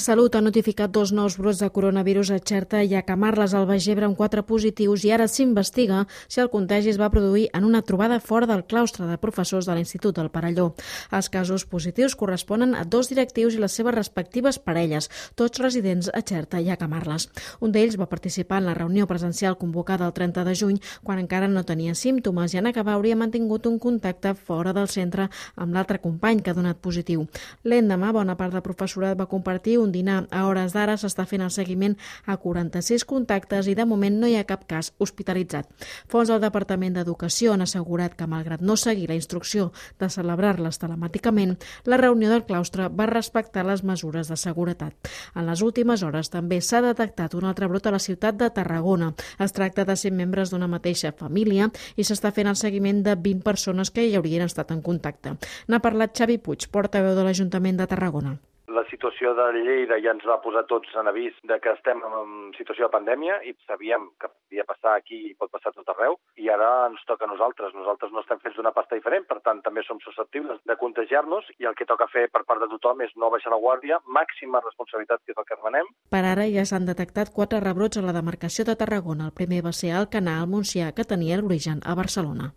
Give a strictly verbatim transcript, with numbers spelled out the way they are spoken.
Salut ha notificat dos nous brots de coronavirus a Xerta i a Camarles, al Baix Ebre, amb quatre positius, i ara s'investiga si el contagi es va produir en una trobada fora del claustre de professors de l'Institut del Perelló. Els casos positius corresponen a dos directius i les seves respectives parelles, tots residents a Xerta i a Camarles. Un d'ells va participar en la reunió presencial convocada el trenta de juny, quan encara no tenia símptomes, i en acabar hauria mantingut un contacte fora del centre amb l'altre company que ha donat positiu. L'endemà, bona part del professorat va compartir un dinar. A hores d'ara s'està fent el seguiment a quaranta-sis contactes i de moment no hi ha cap cas hospitalitzat. Fonts del Departament d'Educació han assegurat que, malgrat no seguir la instrucció de celebrar-les telemàticament, la reunió del claustre va respectar les mesures de seguretat. En les últimes hores també s'ha detectat un altre brot a la ciutat de Tarragona. Es tracta de cent membres d'una mateixa família i s'està fent el seguiment de vint persones que hi haurien estat en contacte. N'ha parlat Xavi Puig, portaveu de l'Ajuntament de Tarragona. La situació de Lleida ja ens va posar tots en avís de que estem en situació de pandèmia i sabíem que podia passar aquí i pot passar a tot arreu, i ara ens toca a nosaltres. Nosaltres no estem fets d'una pasta diferent, per tant també som susceptibles de contagiar-nos, i el que toca fer per part de tothom és no baixar la guàrdia, màxima responsabilitat, que és el que demanem. Per ara ja s'han detectat quatre rebrots a la demarcació de Tarragona. El primer va ser a Alcanar, al Montsià, que tenia l'origen a Barcelona.